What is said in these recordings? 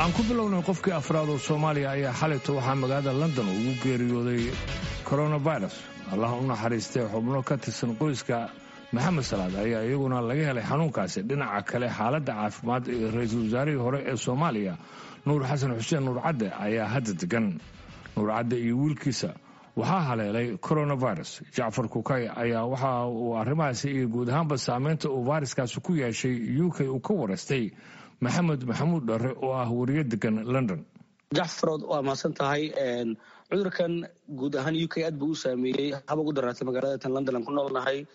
Aan ku bilownay, qofkii afraad oo Soomaaliya ayaa xalayto waxaa magaalada London ugu geeriyooday coronavirus. Allah u naxariistay. Xubno ka tirsan qoyska Maxamed Salaad ayaa iyaguna laga helay xanuunkaasi. Dhinaca kale, xaaladda caafimaad ee ra-iisul wasaarihii hore ee Soomaaliya, Nuur Xasan Xuseen, Nuur Cadde, ayaa hadda degan. Nuur Cadde iyo wiilkiisa waxaa haleelay coronavirus. Jacfar Kukay ayaa waxa uu arrimahaasi iyo guud ahaanba saameynta uu fayraskaasi ku yeeshay UK uu ka waraystay Maxamed Maxamuud Dharre oo ah wariye degan London. Jacfarood, waa mahadsan tahay. Cudurkan guud ahaan UK aad buu u saameeyey, haba ugu daraatay magaalada tan London aan ku noolnahay.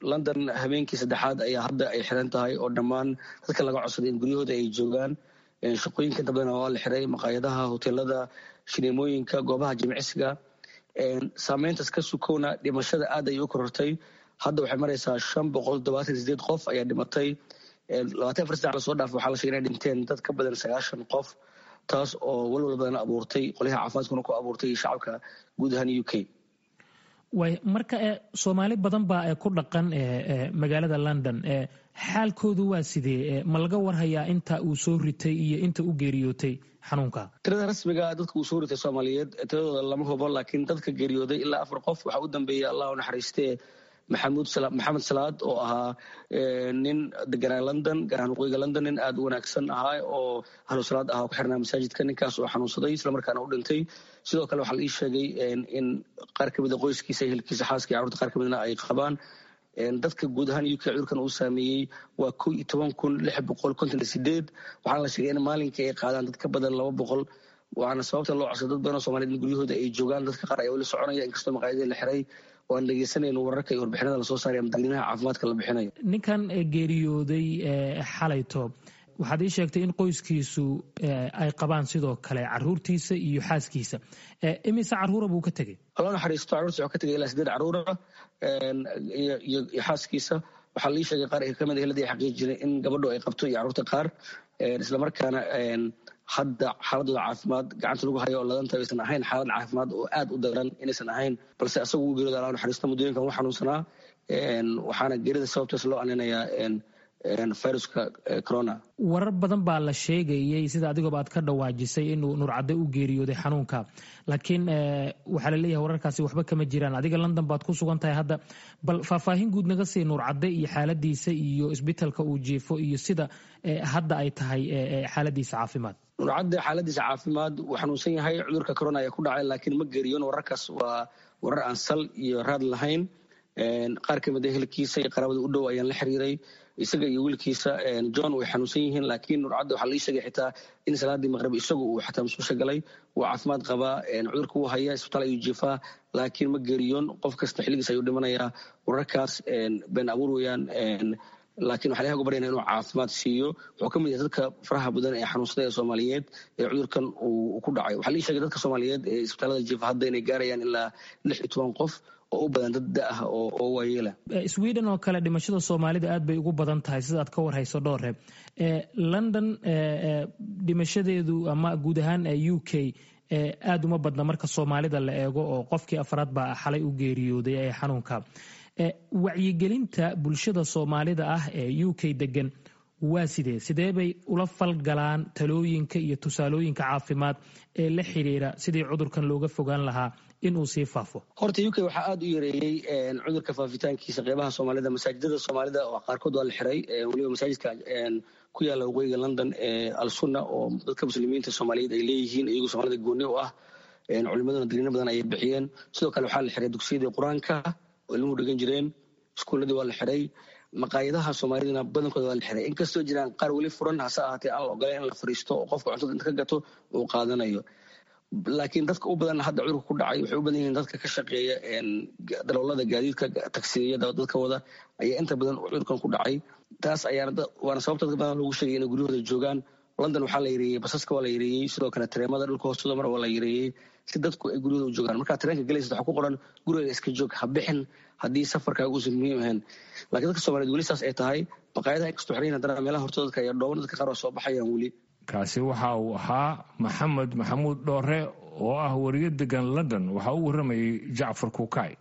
London habeenkii saddexaad ayaa hadda ay xiran tahay oo dhammaan dadka laga codsaday in guryahooda ay joogaan. Shaqooyinka inta badan waa la xiray, maqaayadaha, hoteelada, shineemooyinka, goobaha jimicsiga. Saameyntaas ka sukowna, dhimashada aad ay u korortay. Hadda waxay maraysaa 578 qof ayaa dhimatay. 24 saac lasoo dhaafay waxaa la shegay inay dhinteen dad ka badan 90 qof, taas oo walwal badan abuurtay qolyaha caafimaadkuna ku abuurtay iyo shacabka guud ahaan UK. Way marka Soomaali badan baa ku dhaqan magaalada London. Xaalkoodu waa sidee? Ma laga warhayaa inta uu soo ritay iyo inta u geeriyootay xanuunka? Tirada rasmiga dadka uu soo ritay Soomaaliyeed tiradooda lama hubo, laakiin dadka geeriyooday ilaa afar qof. Waxaa u dambeeyay, Allah u naxariistee, Maxamuud Maxamed Salaad oo ahaa nin deganaa London, gaar ahaan waqooyiga London, nin aada u wanaagsan ahaa oo ahlu salaad ahaa, ku xirnaa masaajidka. Ninkaas oo xanuunsaday islamarkaana u dhintay. Sidoo kale waxaa la ii sheegay in qaar ka mida qoyskiisa, ehelkiisa, xaaska iyo carruurta qaar ka midna ay qabaan. Dadka guud ahaan UK cudurkan uu saameeyey waa 11,658. Waxaana la sheegay in maalinkii ay qaadaan dad ka badan 200, waana sababta loo codsay dad badan oo Soomaaliyed in guryahooda ay joogaan. Dadka qaar ayaa weli soconaya inkastoo maqaayadii la xiray, oo aan dhegeysanayno wararka iyo warbixinada lasoo saaray ama digniinaha caafimaadka la bixinayo. Ninkan geeriyooday xalayto, waxaad ii sheegtay in qoyskiisu ay qabaan sidoo kale caruurtiisa iyo xaaskiisa. Imise caruura buu ka tegey? Allah naxariisto, carruurtiisa wuxuu ka tegay ilaa sideed caruura iyo xaaskiisa. Waxaa la ii sheegay qaar kamid eheladii ay xaqiijinay in gabadhu ay qabto iyo carruurta qaar, islamarkaana hadda xaaladooda caafimaad gacanta lagu hayo oo ladanta aysan ahayn xaalad caafimaad oo aad u daran inaysan ahayn, balse asagu uu geeriyooda, Allah naxariisto. Muddooyinkan wuu xanuunsanaa, waxaana geerida sababtaas loo aninayaa viruska corona. Warar badan baa la sheegayey, sida adigooba aad ka dhawaajisay, inuu Nuurcadde u geeriyooday xanuunka, laakiin waxaa la leeyahay wararkaasi waxba kama jiraan. Adiga London baad ku sugan tahay hadda. Bal faahfaahin guud naga sii Nuurcadde iyo xaaladiisa iyo isbitalka uu jiifo iyo sida hadda ay tahay xaaladiisa caafimaad. Nuurcadde xaaladiisa caafimaad, wuu xanuunsan yahay, cudurka corona ayaa ku dhacay, laakiin ma geeriyoon. Wararkaas waa warar aan sal iyo raad lahayn. Qaar ka mid a ehelkiisa iyo qaraabada u dhow ayaan la xiriiray. Isaga iyo wiilkiisa John way xanuunsan yihiin, laakiin Nurcadde waxaa la ii sheegay xitaa in salaadii maqrib isagu uu xataa musqusha galay. Wuu caafimaad qabaa, cudurka wuu haya, isbitaal ayuu jiifaa, laakiin ma geeriyoon. Qof kasta xilligiis ayuu dhimanayaa. Wararkaas been abuur weeyaan, laakiin waxaa ilahay uga baryana inuu caafimaad siiyo. Wuxuu ka mid yahay dadka faraha badan ee xanuunsaday ee Soomaaliyeed ee cudurkan uu ku dhacay. Waxaa la ii sheegay dadka Soomaaliyeed ee isbitaalada jiifa hadda inay gaarayaan ilaa 16 qof oo u badan dad da ah oo waayeela. Sweden oo kale dhimashada Soomaalida aad bay ugu badan tahay, sida aad ka warhayso, Dhoore. London dhimashadeedu ama guud ahaan UK aad uma badna marka Soomaalida la eego, oo qofkii afraad baa xalay u geeriyooday ee xanuunka. Wacyigelinta bulshada Soomaalida ah ee UK degan waa sidee? Sidee bay ula falgalaan talooyinka iyo tusaalooyinka caafimaad ee la xiriira sidii cudurkan looga fogaan lahaa in uu sii faafo? Horta UK waxaa aada u yareeyey cudurka faafitaankiisa qeybaha Soomaalida. Masaajidada Soomaalida oo qaarkood waa la xiray, weliba masaajidka ku yaalla waqooyiga London ee Al Sunna oo dadka Muslimiinta Soomaaliyeed ay leeyihiin, iyagoo Soomaalida gooni u ah, culimaduna digniino badan ayay bixiyeen. Sidoo kale waxaa la xiray dugsiyadii Qur-aanka oo ilmuhu dhigan jireen, iskuulladii waa la xiray, maqaayadaha Soomaalidana badankooda waa la xiray, inkastoo jiraan qaar weli furan, hase ahaatee aan la ogoleen in la fariisto oo qofka cuntada inta ka gato uu qaadanayo. Laakiin dadka u badan hadda cudurka ku dhacay waxay u badan yihiin dadka ka shaqeeya darawallada gaadiidka, tagsiyada dadka wada ayaa inta badan cudurkan ku dhacay. Taas ayaana waana sababta dadka badan loogu sheegay inay guryahooda joogaan. London waxaa la yareeyey basaska, waa la yareeyey sidoo kale tareemada dhulka hoostooda mar waa la yareeyey, si dadku ay guryahooda u joogaan. Markaa tareenka galaysa waxaa ku qoran "Guriga iska joog, ha bixin haddii safarkaaga uusan muhiim ahayn." Laakiin dadka Soomaaliyed weli saas ay tahay, maqaayadaha inkastoo xiran, haddana meelaha hortooda dadka ayaa dhooban, dadka qaar waa soo baxayaan weli. Kaasi waxa uu ahaa Maxamed Maxamuud Dhoore oo ah wariye degan London. Waxaa u warramayay Jacfar Kuukay.